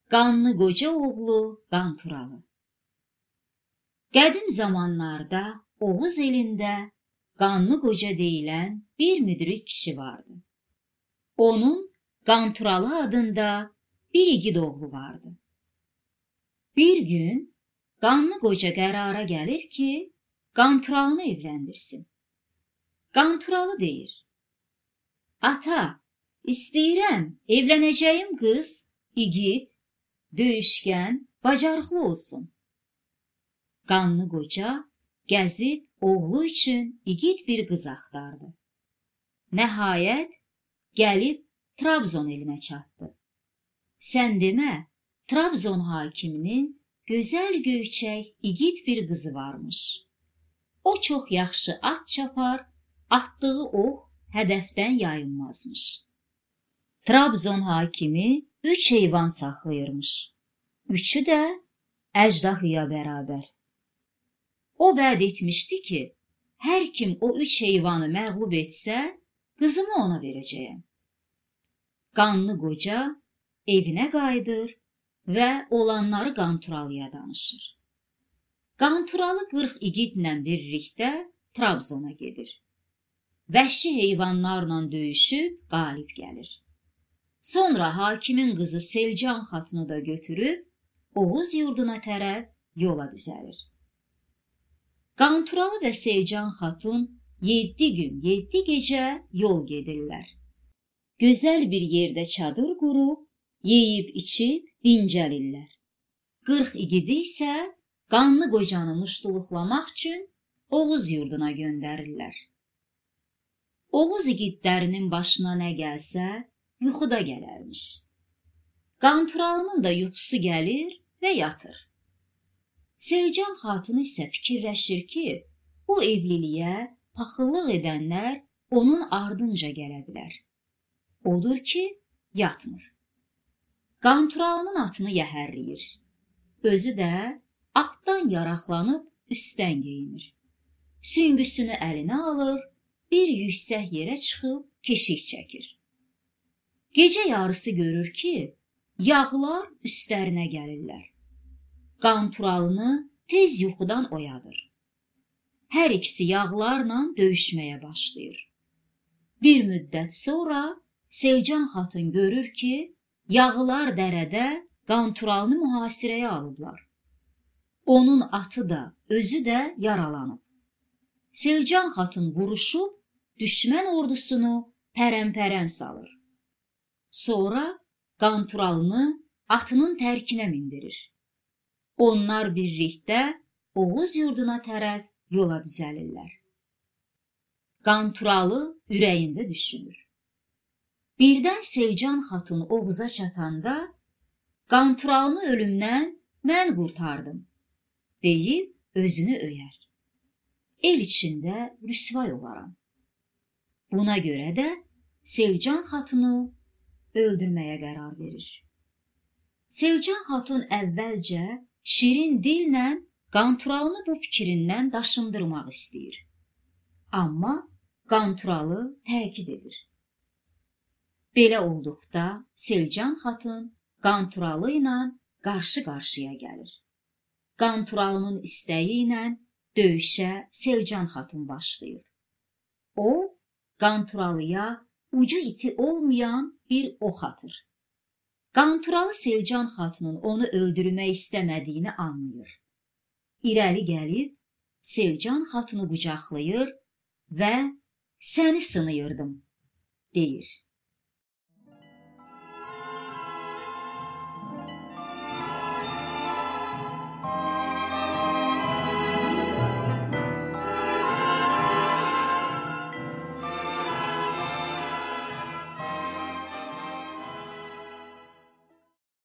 Qanlı qoca oğlu Qanturalı. Qədim zamanlarda Oğuz elində Qanlı qoca deyilən bir müdrik kişi vardı. Onun Qanturalı adında bir igid oğlu vardı. Bir gün Qanlı qoca qərara gəlir ki, Qanturalını evləndirsin. Qanturalı deyir: "Ata, istəyirəm evlənəcəyim qız igid, döyüşkən, bacarıqlı olsun." Qanlı qoca gəzib oğlu üçün igid bir qız axtardı. Nəhayət gəlib Trabzon elinə çatdı. Sən demə, Trabzon hakiminin gözəl göyçək igid bir qızı varmış. O çox yaxşı at çapar, atdığı ox hədəfdən yayınmazmış. Trabzon hakimi 3 heyvan saxlayırmış. Üçü də əjdahıya bərabər. O vəd etmişdi ki, hər kim o 3 heyvanı məğlub etsə, qızımı ona verəcəyəm. Qanlı qoca evinə qayıdır və olanları Qanturalıya danışır. Qanturalı 40 igidlə birlikdə Trabzona gedir. Vəhşi heyvanlarla döyüşüb qalib gəlir. Sonra hakimin qızı Selcan xatunu da götürüb Oğuz yurduna tərəf yola düzəlir. Qanturalı və Selcan xatun 7 gün, 7 gecə yol gedirlər. Gözəl bir yerdə çadır qurub, yeyib içib dincəlirlər. 40 igidi isə Qanlı qocanı muştuluqlamaq üçün Oğuz yurduna göndərirlər. Oğuz igidlərinin başına nə gəlsə, yuxuda gələrmiş. Qanturalının da yuxusu gəlir və yatır. Selcan xatun isə fikirləşir ki, bu evliliyə paxıllıq edənlər onun ardınca gələ bilər. Odur ki, yatmır. Qanturalının atını yəhərləyir. Özü də atdan yaraqlanıb üstdən geyinir. Süngüsünü əlinə alır, bir yüksək yerə çıxıb keşik çəkir. Gecə yarısı görür ki, yağlar üstlərinə gəlirlər. Qanturalını tez yuxudan oyadır. Hər ikisi yağlarla döyüşməyə başlayır. Bir müddət sonra Selcan xatun görür ki, yağlar dərədə Qanturalını mühasirəyə alıblar. Onun atı da, özü də yaralanıb. Selcan xatun vuruşub, düşmən ordusunu pərən-pərən salır. Sonra Qanturalını atının tərkinə mindirir. Onlar birlikdə Oğuz yurduna tərəf yola düzəlirlər. Qanturalı ürəyində düşünür. Birdən Selcan xatun Oğuza çatanda, Qanturalını ölümdən mən qurtardım, deyib özünü öyər. El içində rüsvay olaram. Buna görə də Selcan xatunu öldürməyə qərar verir. Selcan xatun əvvəlcə şirin dillə Qanturalını bu fikrindən daşındırmaq istəyir. Amma Qanturalı təkid edir. Belə olduqda Selcan xatun Qanturalı ilə qarşı-qarşıya gəlir. Qanturalının istəyi ilə döyüşə Selcan xatun başlayır. O, Qanturalıya ucu iti olmayan bir ox atır. Qanturalı Selcan xatunun onu öldürmək istəmədiyini anlayır. İrəli gəlib Selcan xatunu qucaqlayır və "Səni sınıyırdım," deyir.